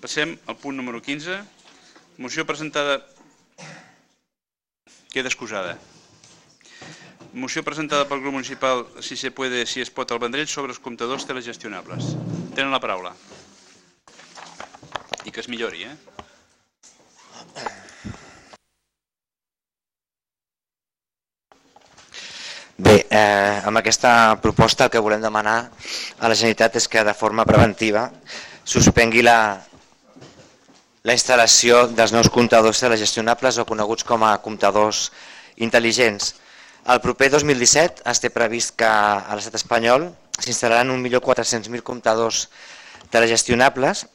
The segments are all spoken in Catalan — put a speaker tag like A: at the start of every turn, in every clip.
A: Passem al punt número 15. Moció presentada... Queda excusada. Moció presentada pel grup municipal Si se puede, si es pot al Vendrell sobre els comptadors telegestionables. Tenen la paraula. I que es millori,
B: Bé, amb aquesta proposta el que volem demanar a la Generalitat és que de forma preventiva suspengui la instal·lació dels nous comptadors telegestionables o coneguts com a comptadors intel·ligents. El proper 2017 es té previst que a l'estat espanyol s'instal·laran 1.400.000 comptadors telegestionables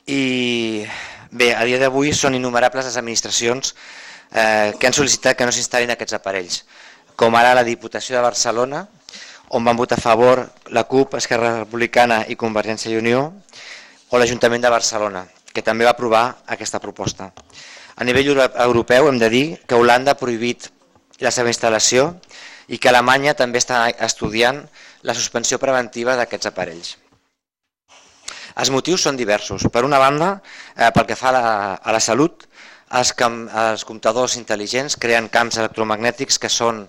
B: i bé, a dia d'avui són innumerables les administracions que han sol·licitat que no s'instal·lin aquests aparells, com ara la Diputació de Barcelona, on van votar a favor la CUP, Esquerra Republicana i Convergència i Unió, o l'Ajuntament de Barcelona, que també va aprovar aquesta proposta. A nivell europeu hem de dir que Holanda ha prohibit la seva instal·lació i que Alemanya també està estudiant la suspensió preventiva d'aquests aparells. Els motius són diversos. Per una banda, pel que fa a la salut, els comptadors intel·ligents creen camps electromagnètics que són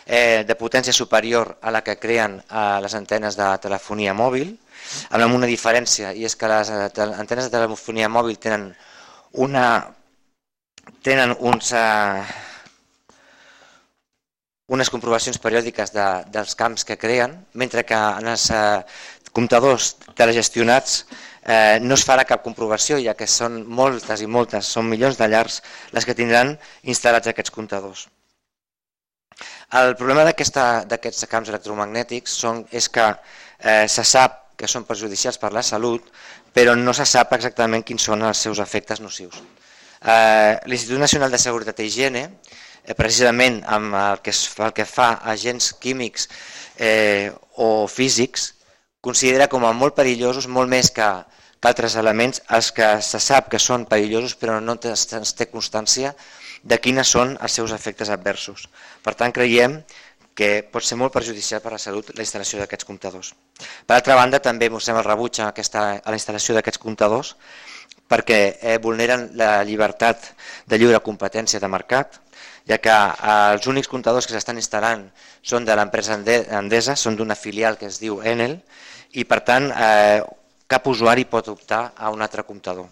B: de potència superior a la que creen les antenes de telefonia mòbil, amb una diferència, i és que les antenes de telefonia mòbil tenen unes comprovacions periòdiques dels camps que creen, mentre que en els comptadors telegestionats no es farà cap comprovació, ja que són moltes i moltes, són milions de llars les que tindran instal·lats aquests comptadors. El problema d'aquests camps electromagnètics és que se sap que són perjudicials per la salut, però no se sap exactament quins són els seus efectes nocius. L'Institut Nacional de Seguretat i Higiene, precisament amb el que fa a agents químics o físics, considera com a molt perillosos, molt més que altres elements, els que se sap que són perillosos però no es té constància de quines són els seus efectes adversos. Per tant, creiem que pot ser molt perjudicial per a la salut la instal·lació d'aquests comptadors. Per altra banda, també mostrem el rebuig a la instal·lació d'aquests comptadors perquè vulneren la llibertat de lliure competència de mercat, ja que els únics comptadors que s'estan instal·lant són de l'empresa Endesa, són d'una filial que es diu Enel, i per tant cap usuari pot optar a un altre comptador.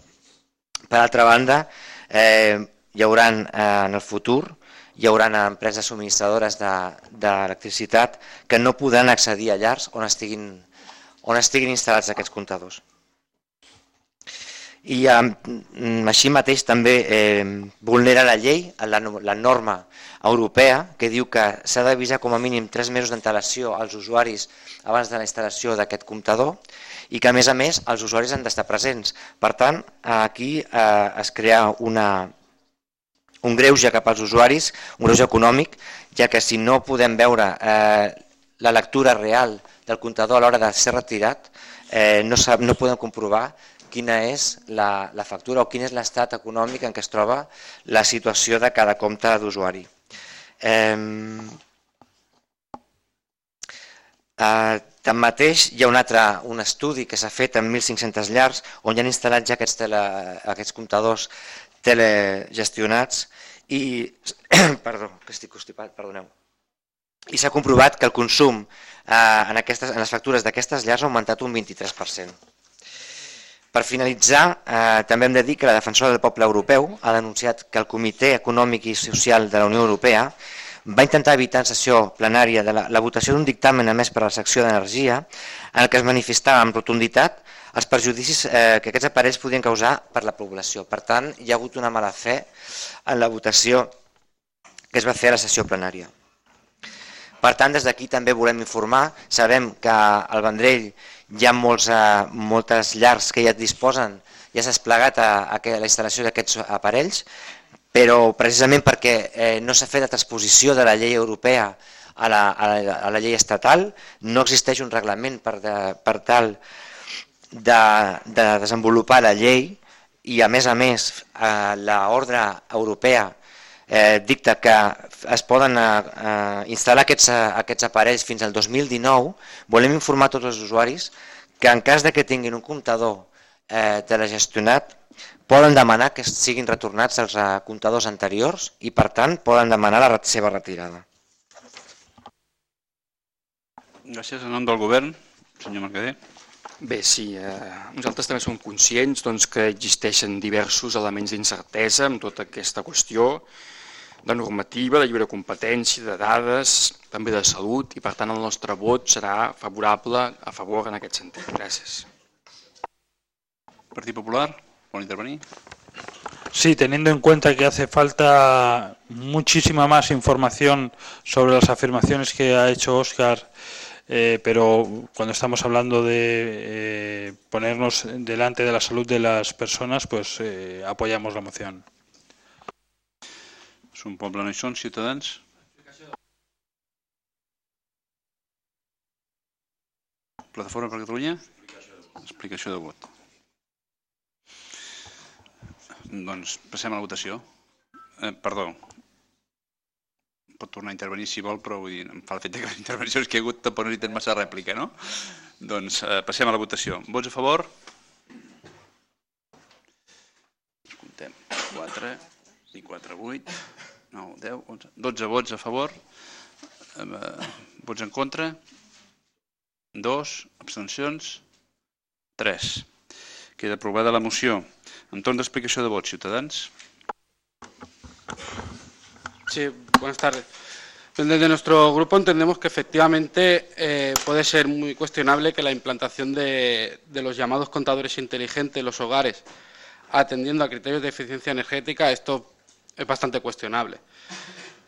B: Per altra banda, hi haurà en el futur empreses subministradores d'electricitat que no podran accedir a llars on estiguin instal·lats aquests comptadors. I així mateix també vulnera la llei, la norma europea, que diu que s'ha d'avisar com a mínim 3 mesos d'antelació als usuaris abans de la instal·lació d'aquest comptador i que a més els usuaris han d'estar presents. Per tant, aquí es crea un greuge cap als usuaris, un greuge econòmic, ja que si no podem veure la lectura real del comptador a l'hora de ser retirat, no podem comprovar quina és la factura o quin és l'estat econòmic en què es troba la situació de cada compte d'usuari. Tanmateix, hi ha un estudi que s'ha fet amb 1.500 llars on hi han instal·lat ja aquests comptadors telegestionats i s'ha comprovat que el consum en les factures d'aquestes llars ha augmentat un 23%. Per finalitzar, també hem de dir que la defensora del poble europeu ha denunciat que el Comitè Econòmic i Social de la Unió Europea va intentar evitar en sessió plenària la votació d'un dictamen emès per la secció d'Energia en el que es manifestava amb rotunditat els perjudicis que aquests aparells podien causar per la població. Per tant, hi ha hagut una mala fe en la votació que es va fer a la sessió plenària. Per tant, des d'aquí també volem informar, sabem que al Vendrell hi ha moltes llars que ja disposen, ja s'ha desplegat a la instal·lació d'aquests aparells, però precisament perquè no s'ha fet la transposició de la llei europea a la llei estatal, no existeix un reglament per tal de desenvolupar la llei i a més l'ordre europea dicta que es poden instal·lar aquests aparells fins al 2019. Volem informar tots els usuaris que en cas que tinguin un comptador telegestionat poden demanar que siguin retornats als comptadors anteriors i, per tant, poden demanar la seva retirada.
A: Gràcies. En nom del govern, senyor Mercader.
C: Bé, sí, nosaltres també som conscients que existeixen diversos elements d'incertesa en tota aquesta qüestió de normativa, de lliure competència, de dades, també de salut, i per tant el nostre vot serà favorable a favor en aquest sentit. Gràcies.
A: Partit Popular, ¿pueden intervenir?
D: Sí, teniendo en cuenta que hace falta muchísima más información sobre las afirmaciones que ha hecho Óscar, pero cuando estamos hablando de ponernos delante de la salud de las personas, pues apoyamos la moción.
A: Som Poble no hi són, Ciutadans? Plataforma per Catalunya? Explicació de vot. Doncs passem a la votació. Perdó. Pot tornar a intervenir si vol, però vull dir, em fa l'efecte que les intervencions que hi ha hagut tampoc no hi tenen massa rèplica, no? Doncs passem a la votació. Vots a favor? Comptem. 4 i 4, 8, 9, 10, 11, 12 vots a favor. Vots en contra? 2, abstencions? 3. Queda aprovada la moció. En torn d'explicació de vot, Ciutadans.
E: Sí, buenas tardes. Desde nuestro grupo entendemos que efectivamente puede ser muy cuestionable que la implantación de los llamados contadores inteligentes en los hogares, atendiendo a criterios de eficiencia energética, esto es bastante cuestionable.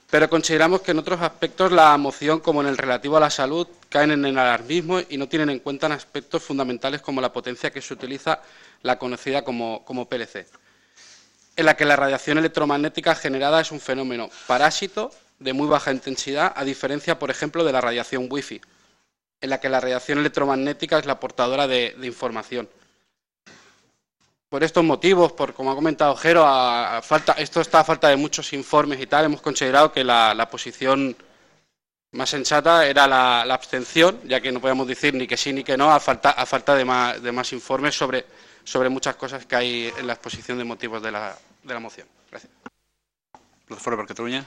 E: Pero consideramos que en otros aspectos la moción, como en el relativo a la salud, caen en el alarmismo y no tienen en cuenta aspectos fundamentales como la potencia que se utiliza, la conocida como PLC, en la que la radiación electromagnética generada es un fenómeno parásito de muy baja intensidad, a diferencia, por ejemplo, de la radiación Wi-Fi, en la que la radiación electromagnética es la portadora de información. Por estos motivos, como ha comentado Jero, esto está a falta de muchos informes y tal, hemos considerado que la posición más sensata era la abstención, ya que no podemos decir ni que sí ni que no, a falta de más informes sobre muchas cosas que hay en la exposición de motivos de la moción. Gracias.
A: Plataforma per Catalunya.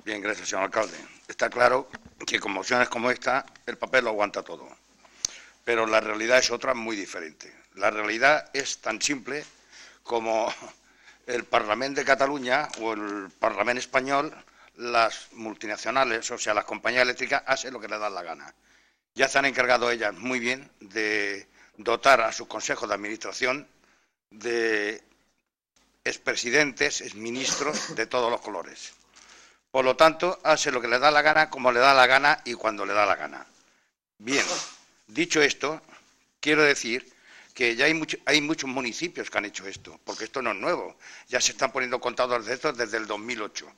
F: Bien, gracias, señor alcalde. Está claro que con mociones como esta el papel lo aguanta todo, pero la realidad es otra muy diferente. La realidad es tan simple como el Parlamento de Cataluña o el Parlamento español, las multinacionales, o sea, las compañías eléctricas, hacen lo que les da la gana. Ya se han encargado ellas muy bien de dotar a sus consejos de administración de expresidentes, exministros de todos los colores. Por lo tanto, hace lo que le da la gana, como le da la gana y cuando le da la gana. Bien, dicho esto, quiero decir que ya hay muchos municipios que han hecho esto, porque esto no es nuevo. Ya se están poniendo contadores de estos desde el 2008.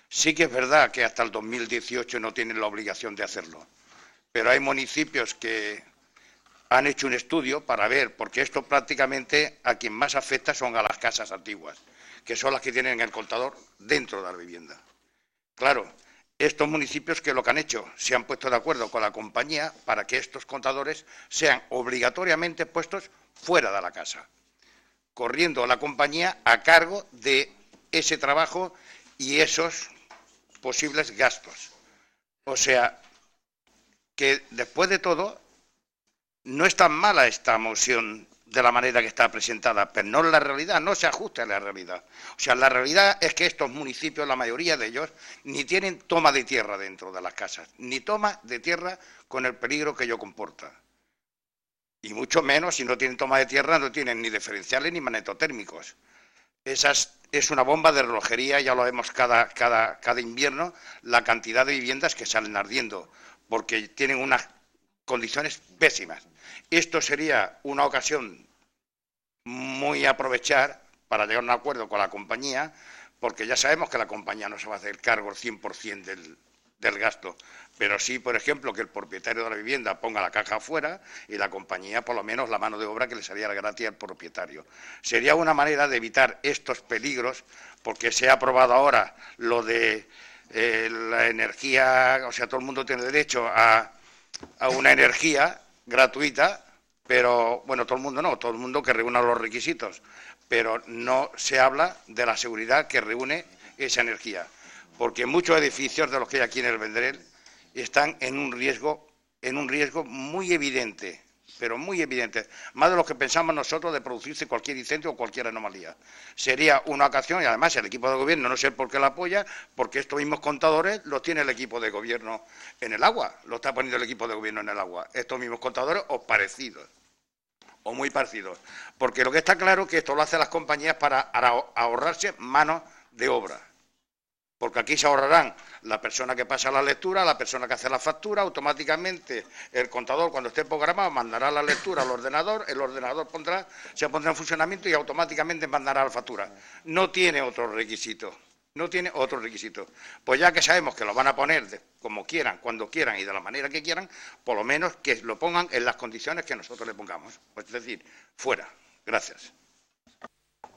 F: Sí que es verdad que hasta el 2018 no tienen la obligación de hacerlo, pero hay municipios que han hecho un estudio para ver, porque esto prácticamente a quien más afecta son a las casas antiguas, que son las que tienen el contador dentro de la vivienda. Claro, estos municipios, que lo que han hecho, se han puesto de acuerdo con la compañía para que estos contadores sean obligatoriamente puestos fuera de la casa, corriendo la compañía a cargo de ese trabajo y esos posibles gastos. O sea, que después de todo, no es tan mala esta moción de la manera que está presentada, pero no es la realidad, no se ajusta a la realidad. O sea, la realidad es que estos municipios, la mayoría de ellos, ni tienen toma de tierra dentro de las casas, ni toma de tierra con el peligro que ello comporta. Y mucho menos, si no tienen toma de tierra, no tienen ni diferenciales ni magnetotérmicos. Es una bomba de relojería, ya lo vemos cada invierno, la cantidad de viviendas que salen ardiendo, porque tienen unas condiciones pésimas. Esto sería una ocasión muy a aprovechar para llegar a un acuerdo con la compañía, porque ya sabemos que la compañía no se va a hacer cargo el 100% del gasto, pero sí, por ejemplo, que el propietario de la vivienda ponga la caja afuera y la compañía, por lo menos, la mano de obra que le saliera gratis al propietario. Sería una manera de evitar estos peligros, porque se ha aprobado ahora lo de la energía, o sea, todo el mundo tiene derecho a una energía gratuita, Pero, bueno, todo el mundo no, todo el mundo que reúna los requisitos, pero no se habla de la seguridad que reúne esa energía, porque muchos edificios de los que hay aquí en el Vendrell están en un riesgo muy evidente, pero muy evidente, más de lo que pensamos nosotros de producirse cualquier incendio o cualquier anomalía. Sería una ocasión, y además el equipo de gobierno, no sé por qué la apoya, porque estos mismos contadores los tiene el equipo de gobierno en el agua, lo está poniendo el equipo de gobierno en el agua, estos mismos contadores o parecidos, o muy parecidos, porque lo que está claro es que esto lo hacen las compañías para ahorrarse manos de obra. Porque aquí se ahorrarán la persona que pasa la lectura, la persona que hace la factura, automáticamente el contador cuando esté programado mandará la lectura al ordenador, el ordenador se pondrá en funcionamiento y automáticamente mandará la factura. No tiene otro requisito, no tiene otro requisito. Pues ya que sabemos que lo van a poner como quieran, cuando quieran y de la manera que quieran, por lo menos que lo pongan en las condiciones que nosotros le pongamos. Pues es decir, fuera. Gracias.